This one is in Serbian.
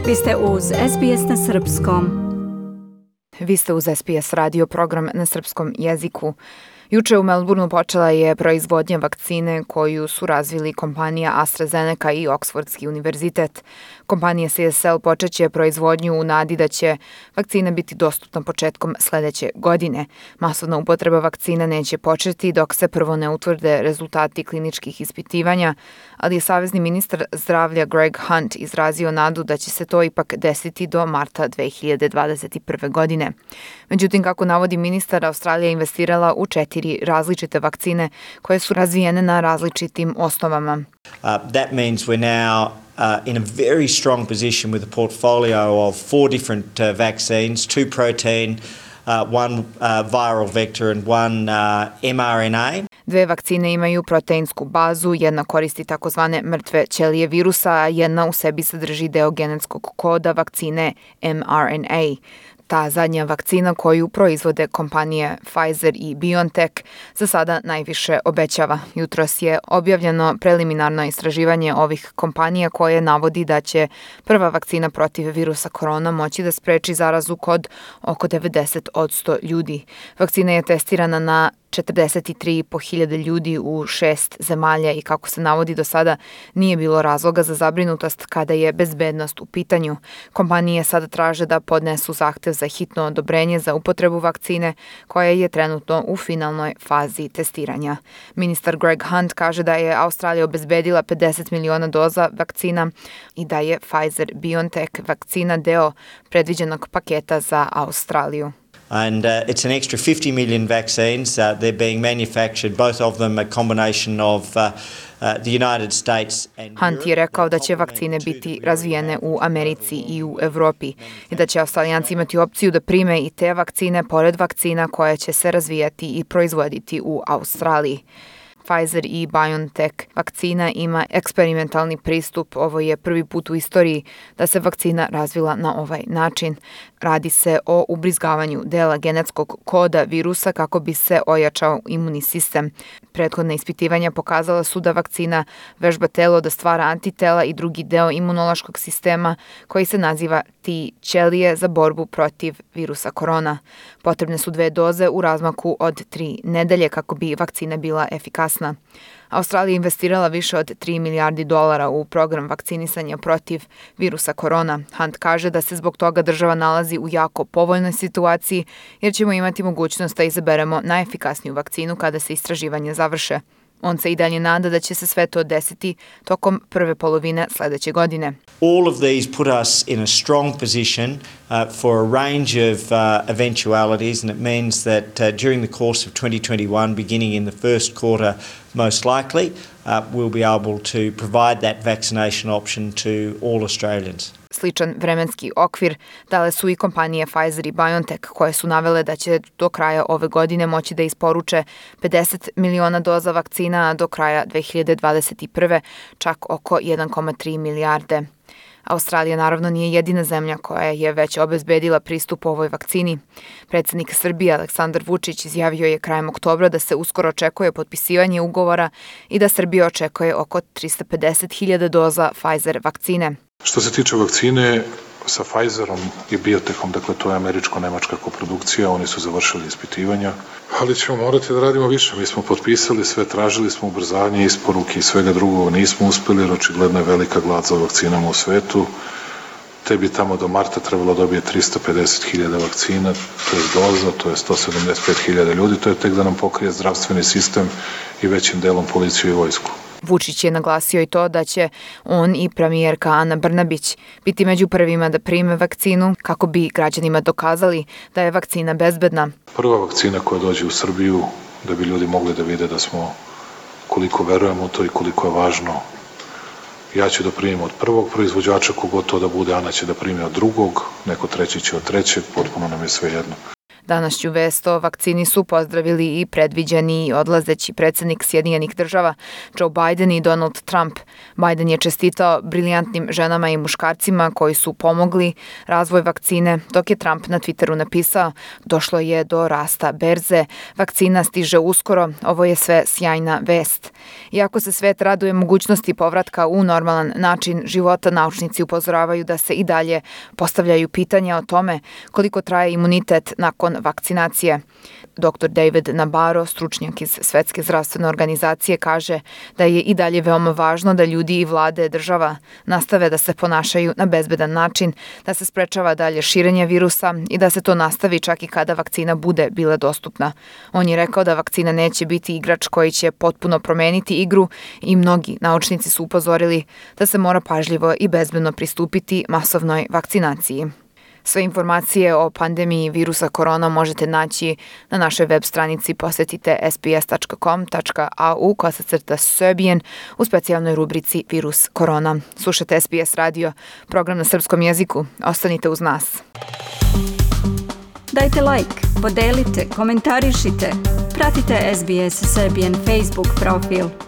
Vi ste uz SBS na Srpskom. Vi ste uz SBS radio program na srpskom jeziku. Juče u Melbourneu počela je proizvodnja vakcine koju su razvili kompanija AstraZeneca i Oksfordski univerzitet. Kompanija CSL počeće proizvodnju u nadi da će vakcina biti dostupna početkom sledeće godine. Masovna upotreba vakcina neće početi dok se prvo ne utvrde rezultati kliničkih ispitivanja, ali je savezni ministar zdravlja Greg Hunt izrazio nadu da će se to ipak desiti do marta 2021. godine. Međutim, kako navodi ministar, Australija je investirala u 4 različite vakcine koje su razvijene na različitim osnovama. That means we're now in a very strong position with a portfolio of 4 different vaccines, 2 protein, 1 viral vector and 1 mRNA. 2 vakcine imaju proteinsku bazu, jedna koristi takozvane mrtve ćelije virusa, a jedna u sebi sadrži deo genetskog koda vakcine mRNA. Ta zadnja vakcina koju proizvode kompanije Pfizer i BioNTech za sada najviše obećava. Jutros je objavljeno preliminarno istraživanje ovih kompanija koje navodi da će prva vakcina protiv virusa korona moći da spreči zarazu kod oko 90% ljudi. Vakcina je testirana na 43.500 ljudi u 6 zemalja i kako se navodi do sada nije bilo razloga za zabrinutost kada je bezbednost u pitanju. Kompanije sada traže da podnesu zahtev za hitno odobrenje za upotrebu vakcine koja je trenutno u finalnoj fazi testiranja. Ministar Greg Hunt kaže da je Australija obezbedila 50 miliona doza vakcina i da je Pfizer-BioNTech vakcina deo predviđenog paketa za Australiju. And it's an extra 50 million vaccines. They're being manufactured, both of them a combination of the United States and Hunt je rekao da će vakcine biti razvijene u Americi i u Evropi i da će Australijanci imati opciju da prime i te vakcine pored vakcina koje će se razvijati i proizvoditi u Australiji. Pfizer i BioNTech vakcina ima eksperimentalni pristup. Ovo je prvi put u istoriji da se vakcina razvila na ovaj način. Radi se o ubrizgavanju dela genetskog koda virusa kako bi se ojačao imunni sistem. Prethodna ispitivanja pokazala su da vakcina vežba telo da stvara antitela i drugi deo imunološkog sistema koji se naziva T ćelije za borbu protiv virusa korona. Potrebne su 2 doze u razmaku od 3 nedelje kako bi vakcina bila efikasna. Australija je investirala više od 3 milijardi dolara u program vakcinisanja protiv virusa korona. Hunt kaže da se zbog toga država nalazi u jako povoljnoj situaciji jer ćemo imati mogućnost da izaberemo najefikasniju vakcinu kada se istraživanje završe. On se i dalje nada da će se sve to desiti tokom prve polovine sledeće godine. All of these put us in a strong position for a range of eventualities, and it means that during the course of 2021, beginning in the first quarter, most likely, we'll be able to provide that vaccination option to all Australians. Sličan vremenski okvir dale su i kompanije Pfizer i BioNTech koje su navele da će do kraja ove godine moći da isporuče 50 miliona doza vakcina, a do kraja 2021. čak oko 1,3 milijarde. Australija naravno nije jedina zemlja koja je već obezbedila pristup ovoj vakcini. Predsednik Srbije Aleksandar Vučić izjavio je krajem oktobra da se uskoro očekuje potpisivanje ugovora i da Srbija očekuje oko 350.000 doza Pfizer vakcine. Što se tiče vakcine, sa Pfizerom i Biotechom, dakle to je američko-nemačka koprodukcija, oni su završili ispitivanja, ali ćemo morati da radimo više. Mi smo potpisali sve, tražili smo ubrzanje isporuke i svega drugog, nismo uspeli jer očigledno je velika glad za vakcinama u svetu. Te bi tamo do marta trebalo dobije 350.000 vakcina, to je doza, to je 175.000 ljudi, to je tek da nam pokrije zdravstveni sistem i većim delom policiju i vojsku. Vučić je naglasio i to da će on i premijerka Ana Brnabić biti među prvima da prime vakcinu kako bi građanima dokazali da je vakcina bezbedna. Prva vakcina koja dođe u Srbiju da bi ljudi mogli da vide da smo koliko verujemo u to i koliko je važno. Ja ću da primim od prvog proizvođača, kogod to da bude, Ana će da primi od drugog, neko treći će od trećeg, potpuno nam je sve jedno. Današnju vest o vakcini su pozdravili i predviđeni i odlazeći predsjednik Sjedinjenih država Joe Biden i Donald Trump. Biden je čestitao briljantnim ženama i muškarcima koji su pomogli razvoj vakcine, dok je Trump na Twitteru napisao: došlo je do rasta berze, vakcina stiže uskoro, ovo je sve sjajna vest. Iako se svet raduje mogućnosti povratka u normalan način života, naučnici upozoravaju da se i dalje postavljaju pitanja o tome koliko traje imunitet nakon vakcinacije. Dr. David Nabarro, stručnjak iz Svetske zdravstvene organizacije, kaže da je i dalje veoma važno da ljudi i vlade država nastave da se ponašaju na bezbedan način, da se sprečava dalje širenje virusa i da se to nastavi čak i kada vakcina bude bila dostupna. On je rekao da vakcina neće biti igrač koji će potpuno promeniti igru i mnogi naučnici su upozorili da se mora pažljivo i bezbedno pristupiti masovnoj vakcinaciji. Sve informacije o pandemiji virusa korona možete naći na našoj web stranici. Posetite sbs.com.au/Serbian u specijalnoj rubrici Virus korona. Slušate SBS radio, program na srpskom jeziku. Ostanite uz nas. Dajte like, podelite, komentarišite. Pratite SBS Serbian Facebook profil.